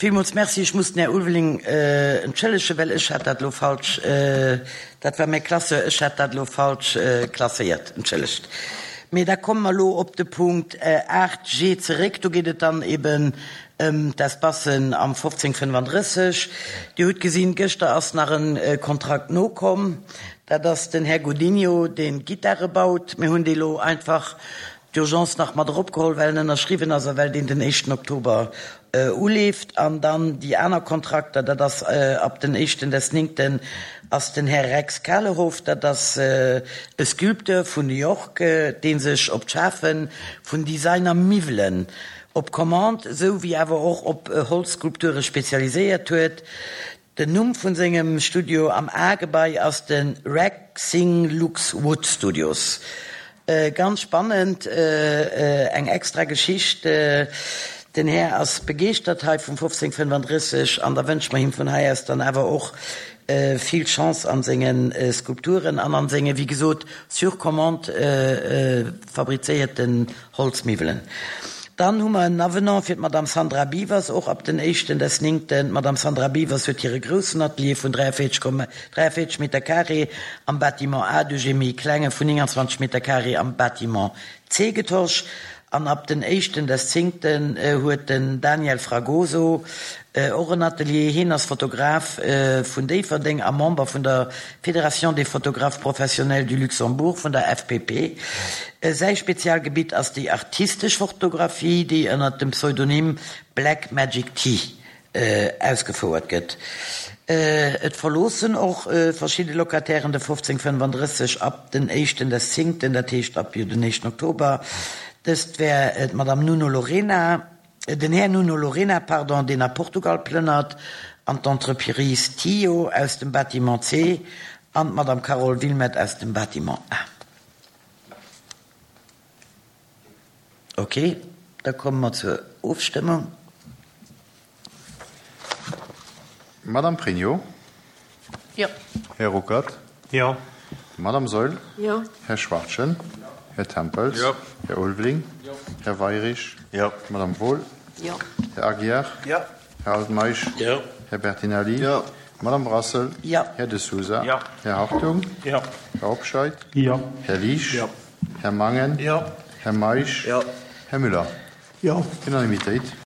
Villmools Merci. Ech muss den Här Ulveling entschëllegen, well ech hat dat elo falsch, dat war mäi Classeur, ech hat dat elo falsch klasséiert. Entschëllegt. Mee da komme mer elo op de Punkt 8 G zeréck. Do geet et dann eben ëm d'Espacen am 1535. Dir hutt gesinn, gëschter ass nach e Kontrakt nokomm. Dat ass den Här Godinho, deen d'Gittare baut. Mir hunn dee lo einfach d'urgence nach mat eropgeholl, well en ënnerschriwwen ass a well deen den éischten Oktober uleeft. An dann déi aner Kontrakter, dat ass ab den éischten des néngten ass den Här Rex Kalehoff, dat ass e Sculpteur vun New York, dee sech op d'Schafe vun Designer-Miwwelen op Commande esou wéi awer och op Holzskulpture spezialiséiert huet. Den Numm vun sengem Studio am A-Gebai ass de Rexing Lux Wood Studios. Ganz spannend, eng extra Geschicht. Den Här ass begeeschtert hei vum 1535 an da wënsche mer him vun hei aus dann awer och vill Chance an senge Skulpturen an an senge, wéi gesot, sur commande fabrizéierten Holzmiwwelen. Dann hu mer en Avenant fir d'Madame Sandra Biewers, och ab den éischten des néngten. D'Madame Sandra Biewers huet hire groussen Atelier vun 43,43 Meter carré am Bâtiment A duerch ee méi klenge vun 29 Meter carré am Bâtiment C getosch. An ab den éischten des zéngten huet den Daniel Fragoso Och en Atelier. Hien ass Fotograf vun Déifferdeng a Member vun der Fédération des photographes professionnels du Luxembourg, vun der FPP. Säi Spezialgebitt ass déi artistesch Fotografie, déi ënner dem Pseudonym Black Magic T ausgefouert gëtt. Et verloossen och verschidde Locatairen de 1535 ab den éischten des zéngten, dat heescht ab jo den éischten Oktober. Dëst wär d'Madame Nuno Lorena. Den Här Nuno Lorena, pardon, deen a Portugal plënnert, an d'Entreprise Tio aus dem Bâtiment C an d'Madame Carole Wilmette aus dem Bâtiment A. Ok, da komme mer zur Ofstëmmung. Madame Pregno. Jo. Här Ruckert. Jo. Madame Saeul. Jo. Här Schwachtgen. Jo. Här Tempels. Jo. Här Ulveling. Jo. Här Weirich. Jo. Madame Wohl. Jo. Här Aguiar. Jo. Här Altmeisch. Jo. Här Bertinelli. Jo. Madame Brassel. Jo. Här De Sousa. Jo. Här Hartung. Jo. Här Hobscheit. Jo. Här Liesch. Jo. Här Mangen. Jo. Här Meisch. Jo. Här Müller. Jo. Unanimitéit.